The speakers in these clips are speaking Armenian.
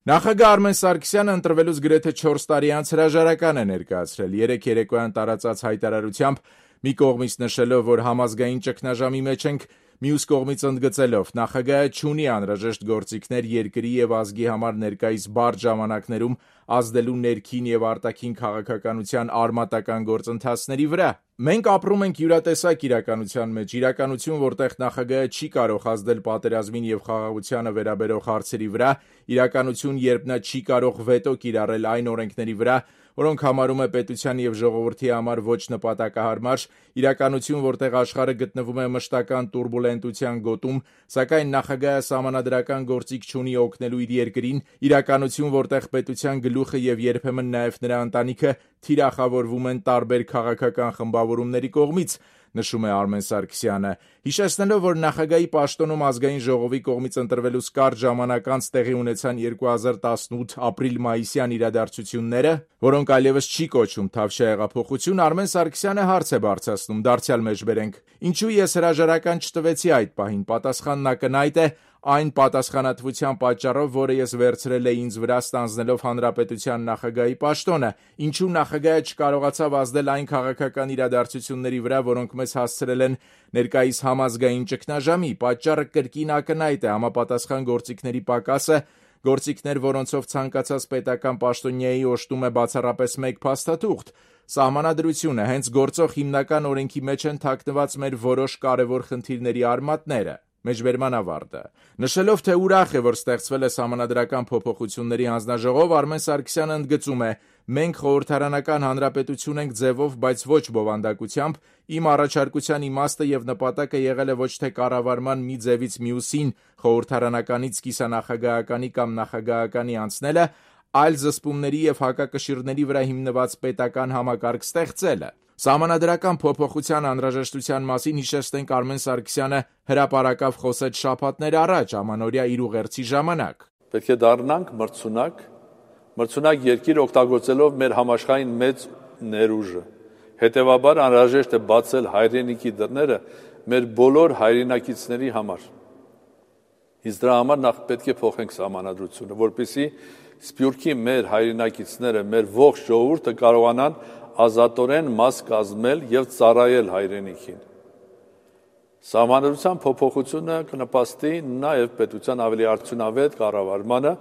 Նախագահ Արմեն Սարգսյանը ընտրվելուց գրեթե 4 տարի անց հրաժարական է ներկայացրել, երեկ երեկոյան տարածած հայտարարությամբ մի կողմից նշելով, որ համազգային ճգնաժամի մեջ ենք, մյուս կողմից ընդգծելով նախագահը չունի անհրաժեշտ գործիքներ երկրի եւ ազգի համար ներկայիս բարդ ժամանակներում ազդելու ներքին եւ արտաքին քաղաքականության արմատական գործընթացների վրա։ Մենք ապրում ենք յուրատեսակ իրականության մեջ, իրականություն, որտեղ նախագահը չի կարող ազդել պատերազմին եւ խաղաղությանը վերաբերող հարցերի վրա, իրականություն, երբ նա չի կարող վետո կիրառել այն օրենքների վրա, որոնք համարում է պետության եւ ժողովրդի համար ոչ նպատակահարմար, իրականություն, որտեղ աշխարհը գտնվում է մշտական տուրբուլենտության գոտում, սակայն նախագահը սահմանադրական գործիք չունի օգնելու իր երկրին, իրականություն, որտեղ պետության գլուխը եւ երբեմն նաեւ նրա ընտանիքը թիրախավորվում են տարբեր քաղաքական խմբավորումների կողմից, նշում է Արմեն Սարգսյանը, հիշեցնելով, որ նախագահի պաշտոնում ազգային ժողովի կողմից ընտրվելուց կարճ ժամանակ անց տեղի ունեցան 2018 ապրիլ-մայիսյան իրադարձությունները, որոնք այլևս չի կոչում Թավշյա հեղափոխություն, Արմեն Սարգսյանը հարց է բարձրացնում, դարձյալ մեջբերենք. Ինչու ես հրաժարական չտվեցի այդ պահին, պատասխանն ակնհայտ է, այն պատասխանատվության պատճառով, որը ես վերցրել էի ինձ վրա ստանձնելով հանրապետության նախագահի պաշտոնը, ինչու նախագահը չկարողացավ ազդել այն քաղաքական իրադարձությունների վրա, որոնք մեզ հասցրել են ներկայիս համազգային ճգնաժամի, պատճառը կրկին ակնհայտ է, համապատասխան գործիքների պակասը, գործիքներ, որոնցով ցանկացած պետական պաշտոնյայի օժտում է բացառապես մեկ փաստաթուղթ, սահմանադրությունը, հենց գործող հիմնական օրենքի մեջ են թաքնված մեր որոշ կարևոր խնդիրների արմատները։ Մեջբերման ավարտը։ Նշելով, թե ուրախ է, որ ստեղծվել է սահմանադրական փոփոխությունների հանձնաժողով, Արմեն Սարգսյանը ընդգծում է. մենք խորհրդարանական հանրապետություն ենք ձևով, բայց ոչ բովանդակությամբ, իմ առաջարկության իմաստը եւ նպատակը եղել է ոչ թե կառավարման մի ձևից մյուսին խորհրդարանականից կիսանախագահականի կամ նախագահականի անցնելը, այլ զսպումների եւ հակակշիռների վրա հիմնված պետական համակարգ ստեղծելը։ Սահմանադրական փոփոխության անհրաժեշտության մասին հիշեցնենք Արմեն Սարգսյանը հրապարակավ խոսեց շաբաթներ առաջ ամանորյա իր ուղերձի ժամանակ։ Պետք է դառնանք մրցունակ երկիր օգտագործելով մեր համաշխարհային մեծ ներուժը։ Հետևաբար անհրաժեշտ է բացել հայրենիքի դռները մեր բոլոր հայրենակիցների համար։ Իսկ դրա համար նախ պետք է փոխենք սահմանադրությունը, որպեսզի Սփյուռքի մեր հայրենակիցները, մեր ողջ ժողովուրդը կարողանան ազատորեն մաս կազմել եւ ծառայել հայրենիքին։ Սահմանադրության փոփոխությունը կնպաստի նաեւ պետության ավելի արդյունավետ կառավարմանը,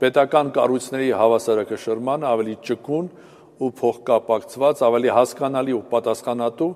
պետական կառույցների հավասարակշռմանը, ավելի ճկուն ու փոխկապակցված, ավելի հասկանալի ու պատասխանատու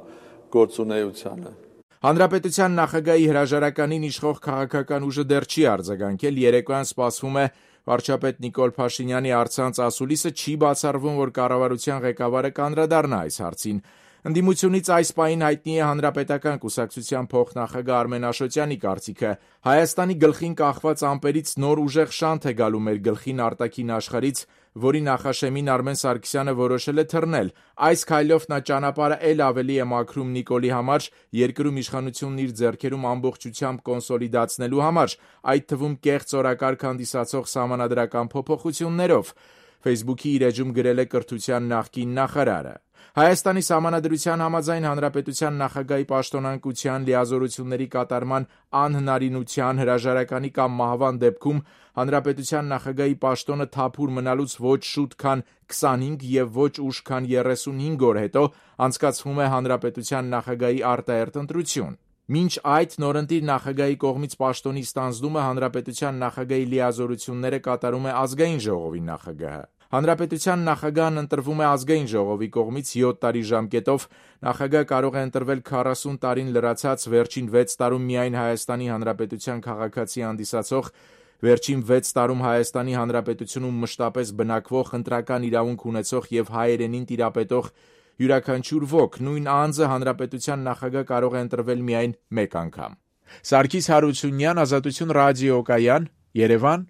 գործունեությանը։ Հանրապետության նախագահի հրաժարականին իշխող քաղաքական ուժը դեռ չի արձագանքել, երեկոյան սպասվում է վարչապետ Նիկոլ Փաշինյանի առցանց ասուլիսը, չի բացառվում, որ կառավարության ղեկավարը կանդրադառնա այս հարցին։ Ընդդիմությունից այս պահին հայտնի է Հանրապետական կուսակցության փոխնախագահ Արմեն Աշոտյանի կարծիքը. Հայաստանի գլխին կախված ամպերից նոր ուժեղ շանթ է գալու մեր գլխին արտաքին աշխարհից, որի նախաշեմին Արմեն Սարգսյանը որոշել է թռնել։ Այս քայլով նա ճանապարհը էլ ավելի է մաքրում Նիկոլի համար, երկրում իշխանությունն իր ձեռքերում ամբողջությամբ կոնսոլիդացնելու համար, այդ թվում կեղծ օրակարգ հանդիսացող սահմանադրական փոփոխություններով։ Facebook-ի իր էջում գրել է կրթության նախկին նախարարը։ Հայաստանի սահմանադրության համաձայն հանրապետության նախագահի պաշտոնանկության լիազորությունների կատարման անհնարինության հրաժարականի կամ մահվան դեպքում հանրապետության նախագահի պաշտոնը թափուր մնալուց ոչ շուտ քան 25 եւ ոչ ուշ քան 35 օր հետո անցկացվում է հանրապետության նախագահի արտահերթ ընտրություն։ Մինչ այդ նորընտիր նախագահի կողմից պաշտոնի ստանձնումը հանրապետության նախագահի լիազորությունները կատարում է ազգային ժողովի նախագահը։ Հանրապետության նախագահն ընտրվում է ազգային ժողովի կողմից 7 տարի ժամկետով, նախագահ կարող է ընտրվել 40 տարին լրացած վերջին 6 տարում միայն Հայաստանի Հանրապետության քաղաքացի հանդիսացող, վերջին 6 տարում Հայաստանի Հանրապետությունում մշտապես բնակվող, ընտրական իրավունք ունեցող եւ հայերենին տիրապետող յուրաքանչյուր ոք, նույն անձը հանրապետության նախագահ կարող է ընտրվել միայն մեկ անգամ։ Սարգիս Հարությունյան, Ազատություն ռադիոկայան, Երևան,